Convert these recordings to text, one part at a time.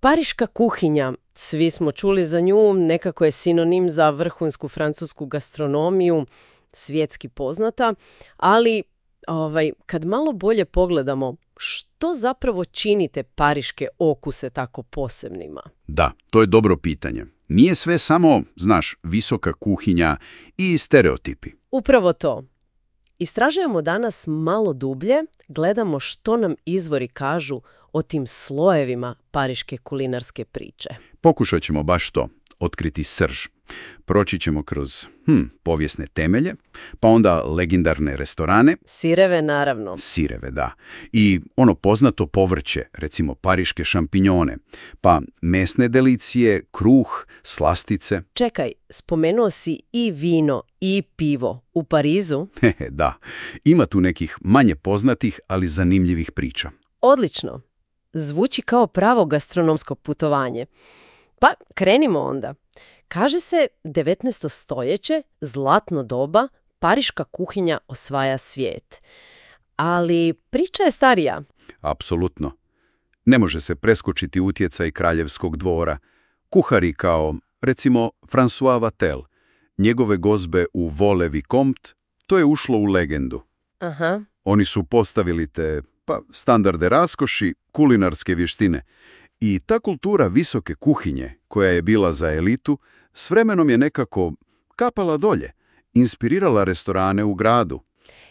Pariška kuhinja, svi smo čuli za nju, nekako je sinonim za vrhunsku francusku gastronomiju, svjetski poznata, ali kad malo bolje pogledamo, što zapravo čini te pariške okuse tako posebnima? Da, to je dobro pitanje. Nije sve samo, visoka kuhinja i stereotipi. Upravo to. Istražujemo danas malo dublje, gledamo što nam izvori kažu o tim slojevima pariške kulinarske priče. Pokušat ćemo baš to, otkriti srž. Proći ćemo kroz povijesne temelje, pa onda legendarne restorane. Sireve, naravno. Sireve, da. I ono poznato povrće, recimo pariške šampinjone, pa mesne delicije, kruh, slastice. Čekaj, spomenuo si i vino i pivo u Parizu? Da, ima tu nekih manje poznatih, ali zanimljivih priča. Odlično. Zvuči kao pravo gastronomsko putovanje. Pa krenimo onda. Kaže se 19. stoljeće, zlatno doba, pariška kuhinja osvaja svijet. Ali priča je starija. Apsolutno. Ne može se preskočiti utjecaj kraljevskog dvora. Kuhari kao, recimo, François Vatel, njegove gozbe u Vole Vicomte, to je ušlo u legendu. Aha. Oni su postavili te, standarde raskoši, kulinarske vještine. I ta kultura visoke kuhinje, koja je bila za elitu, s vremenom je nekako kapala dolje, inspirirala restorane u gradu.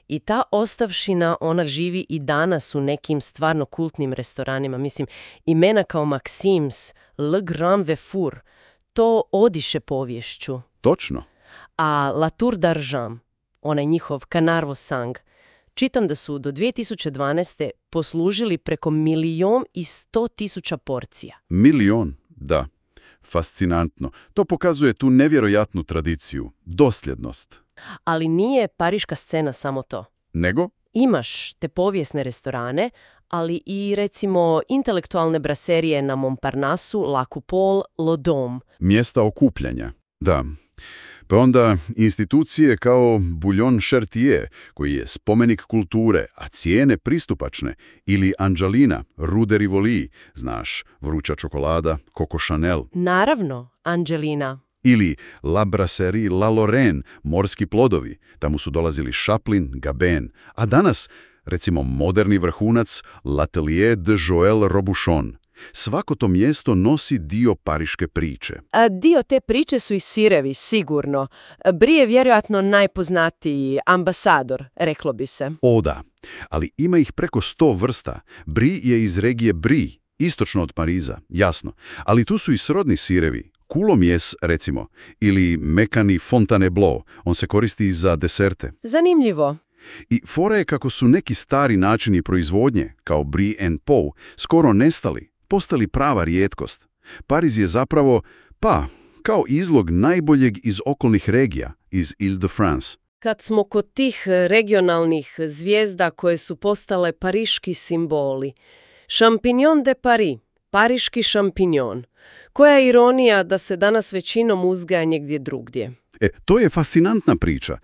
I ta ostavšina, ona živi i danas u nekim stvarno kultnim restoranima. Mislim, imena kao Maxims, Le Grand Vefour, to odiše poviješću. Točno. A La Tour d'Argent, onaj njihov Canard Sang, čitam da su do 2012. poslužili preko 1.100.000 porcija. 1.000.000, da. Fascinantno. To pokazuje tu nevjerojatnu tradiciju, dosljednost. Ali nije pariška scena samo to. Nego? Imaš te povijesne restorane, ali i recimo intelektualne braserije na Montparnassu, La Coupole, Le Dôme. Mjesta okupljanja, da. Pa onda institucije kao Bouillon Chartier, koji je spomenik kulture, a cijene pristupačne, ili Angelina, Rue de Rivoli, vruća čokolada, Coco Chanel. Naravno, Angelina. Ili La Brasserie La Lorraine, morski plodovi, tamo su dolazili Chaplin, Gabin, a danas, recimo, moderni vrhunac L'Atelier de Joël Robuchon. Svako to mjesto nosi dio pariške priče. A dio te priče su i sirevi, sigurno. Brie je vjerojatno najpoznatiji ambasador, reklo bi se. O da, ali ima ih preko 100 vrsta. Brie je iz regije Brie, istočno od Pariza, jasno. Ali tu su i srodni sirevi. Coulommiers, recimo, ili mekani Fontainebleau. On se koristi za deserte. Zanimljivo. I fora je kako su neki stari načini proizvodnje, kao Brie and Pau, skoro nestali, postali prava rijetkost. Pariz je zapravo, kao izlog najboljeg iz okolnih regija, iz Ile-de-France. Kad smo kod tih regionalnih zvijezda koje su postale pariški simboli, Champignon de Paris, pariški šampinjon. Koja je ironija da se danas većinom uzgaja negdje drugdje? To je fascinantna priča.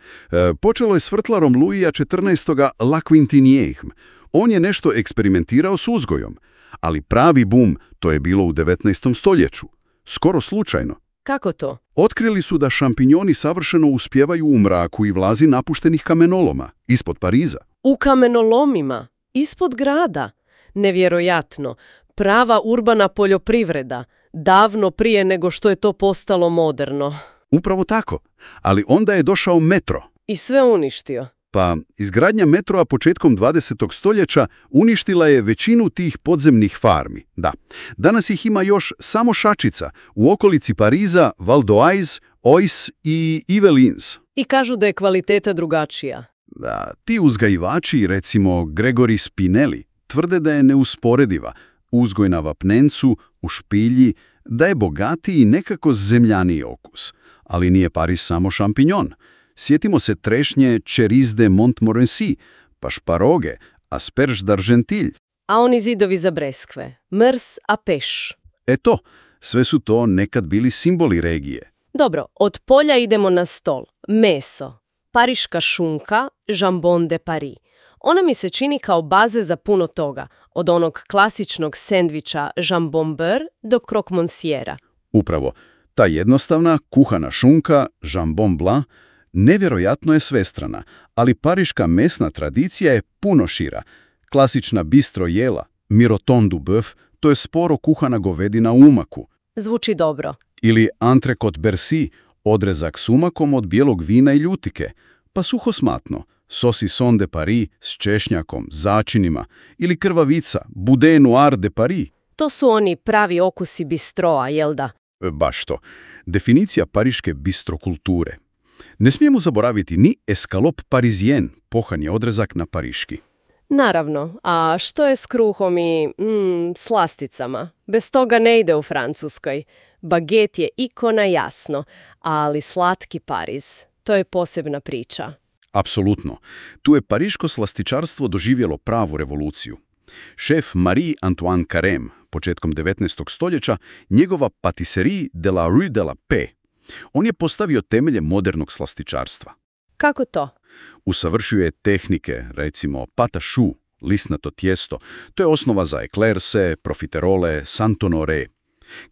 Počelo je s vrtlarom Louisa XIV. La Quintinière. On je nešto eksperimentirao s uzgojom, ali pravi bum to je bilo u 19. stoljeću. Skoro slučajno. Kako to? Otkrili su da šampinjoni savršeno uspijevaju u mraku i vlazi napuštenih kamenoloma, ispod Pariza. U kamenolomima? Ispod grada? Nevjerojatno. Prava urbana poljoprivreda. Davno prije nego što je to postalo moderno. Upravo tako. Ali onda je došao metro. I sve uništio. Pa izgradnja metroa početkom 20. stoljeća uništila je većinu tih podzemnih farmi. Da, danas ih ima još samo šačica u okolici Pariza, Val d'Oise, Oise i Yvelines. I kažu da je kvaliteta drugačija. Da, ti uzgajivači, recimo Gregory Spinelli, tvrde da je neusporediva. Uzgoj na vapnencu, u špilji, da je bogatiji i nekako zemljaniji okus. Ali nije Pariz samo šampinjon. Sjetimo se trešnje Cerise de Montmorency, pa šparoge, asperge d'Argenteuil. A oni zidovi za breskve, mrs a peš. Eto, sve su to nekad bili simboli regije. Dobro, od polja idemo na stol. Meso, pariška šunka, jambon de Paris. Ona mi se čini kao baze za puno toga, od onog klasičnog sendviča jambon beurre do croque monsiera. Upravo, ta jednostavna kuhana šunka, jambon blanc, nevjerojatno je svestrana, ali pariška mesna tradicija je puno šira. Klasična bistro jela, miroton du bœuf, to je sporo kuhana govedina u umaku. Zvuči dobro. Ili entrecôte Bercy, odrezak s umakom od bijelog vina i ljutike, pa suhosmatno, saucisson de Paris s češnjakom, začinima, ili krvavica, boudin noir de Paris. To su oni pravi okusi bistroa, jel da? Baš to. Definicija pariške bistrokulture. Ne smijemo zaboraviti ni escalope parisien, pohani odrezak na pariški. Naravno, a što je s kruhom i slasticama? Bez toga ne ide u Francuskoj. Baget je ikona, jasno, ali slatki Pariz, to je posebna priča. Apsolutno. Tu je pariško slastičarstvo doživjelo pravu revoluciju. Šef Marie-Antoine Carême, početkom 19. stoljeća, njegova Patisserie de la Rue de la Paix. On je postavio temelje modernog slastičarstva. Kako to? Usavršio je tehnike, recimo pâte à choux, lisnato tijesto. To je osnova za eclairse, profiterole, santonore.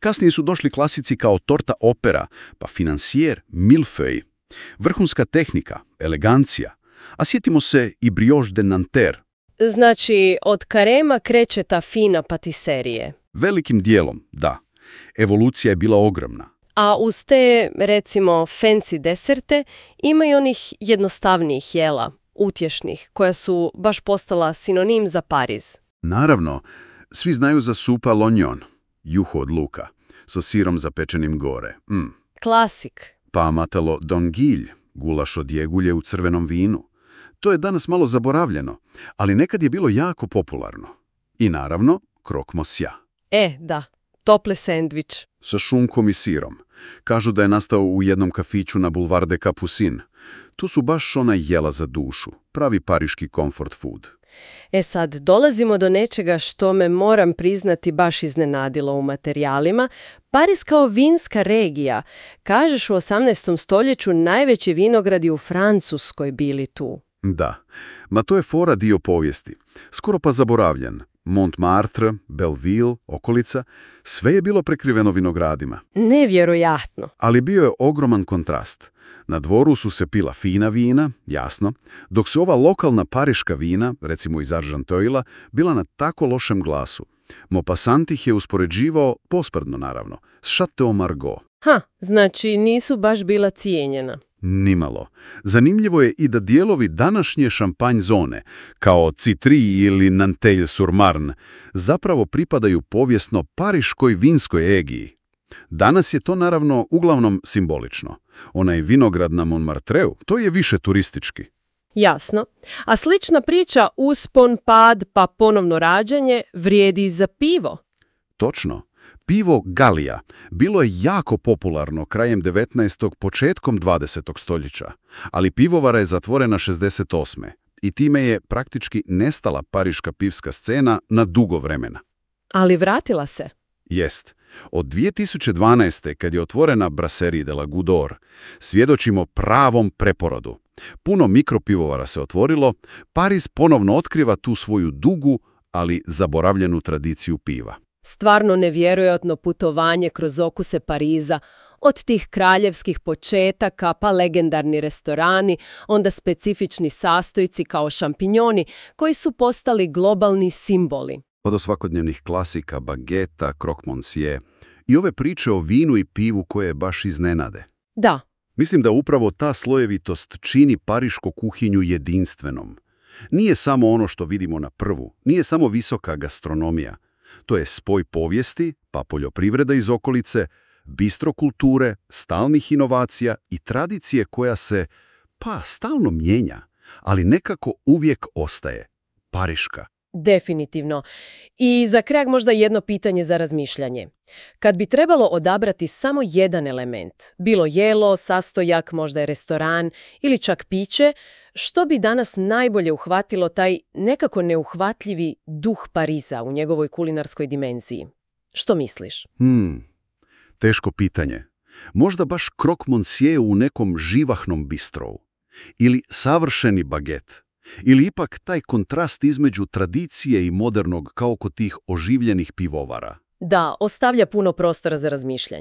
Kasnije su došli klasici kao torta opera, pa financier, millefeuille. Vrhunska tehnika, elegancija. A sjetimo se i brioche de Nanterre. Znači, od Carêma kreće ta fina patiserije. Velikim dijelom, da. Evolucija je bila ogromna. A uz te, recimo, fancy deserte ima i onih jednostavnijih jela, utješnih, koja su baš postala sinonim za Pariz. Naravno, svi znaju za soupe à l'oignon, juho od luka, sa sirom zapečenim gore. Klasik. Pa matelo d'anguille, gulaš od jegulje u crvenom vinu. To je danas malo zaboravljeno, ali nekad je bilo jako popularno. I naravno, croque monsieur. Da, topli sendvič. Sa šunkom i sirom. Kažu da je nastao u jednom kafiću na Boulevard des Capucines. Tu su baš ona jela za dušu, pravi pariški comfort food. Sad, dolazimo do nečega što me, moram priznati, baš iznenadilo u materijalima. Pariz kao vinska regija. Kažeš, u 18. stoljeću najveći vinogradi u Francuskoj bili tu. Da, ma to je fora dio povijesti. Skoro pa zaboravljen. Montmartre, Belleville, okolica, sve je bilo prekriveno vinogradima. Nevjerojatno. Ali bio je ogroman kontrast. Na dvoru su se pila fina vina, jasno, dok su ova lokalna pariška vina, recimo iz Argenteuila, bila na tako lošem glasu. Maupassant ih je uspoređivao, posprdno naravno, s Chateau Margaux. Znači nisu baš bila cijenjena. Nimalo. Zanimljivo je i da dijelovi današnje šampanj zone, kao Citry ili Nanteuil-sur-Marne, zapravo pripadaju povijesno pariškoj vinskoj egiji. Danas je to naravno uglavnom simbolično. Onaj vinograd na Montmartreu, to je više turistički. Jasno. A slična priča, uspon, pad, pa ponovno rađanje, vrijedi i za pivo. Točno. Pivo Galija bilo je jako popularno krajem 19. početkom 20. stoljeća, ali pivovara je zatvorena 68. i time je praktički nestala pariška pivska scena na dugo vremena. Ali vratila se. Jest. Od 2012. kad je otvorena Brasserie de la Goutte d'Or, svjedočimo pravom preporodu. Puno mikropivovara se otvorilo, Pariz ponovno otkriva tu svoju dugu, ali zaboravljenu tradiciju piva. Stvarno nevjerojatno putovanje kroz okuse Pariza, od tih kraljevskih početaka pa legendarni restorani, onda specifični sastojci kao šampinjoni koji su postali globalni simboli. Od svakodnevnih klasika, bageta, croque monsieur i ove priče o vinu i pivu koje baš iznenade. Da. Mislim da upravo ta slojevitost čini parišku kuhinju jedinstvenom. Nije samo ono što vidimo na prvu, nije samo visoka gastronomija. To je spoj povijesti, pa poljoprivreda iz okolice, bistrokulture, stalnih inovacija i tradicije koja se, stalno mijenja, ali nekako uvijek ostaje. Pariška. Definitivno. I za kraj možda jedno pitanje za razmišljanje. Kad bi trebalo odabrati samo jedan element, bilo jelo, sastojak, možda je restoran ili čak piće, što bi danas najbolje uhvatilo taj nekako neuhvatljivi duh Pariza u njegovoj kulinarskoj dimenziji? Što misliš? Teško pitanje. Možda baš croque monsieur u nekom živahnom bistrovu. Ili savršeni baget. Ili ipak taj kontrast između tradicije i modernog kao kod tih oživljenih pivovara? Da, ostavlja puno prostora za razmišljanje.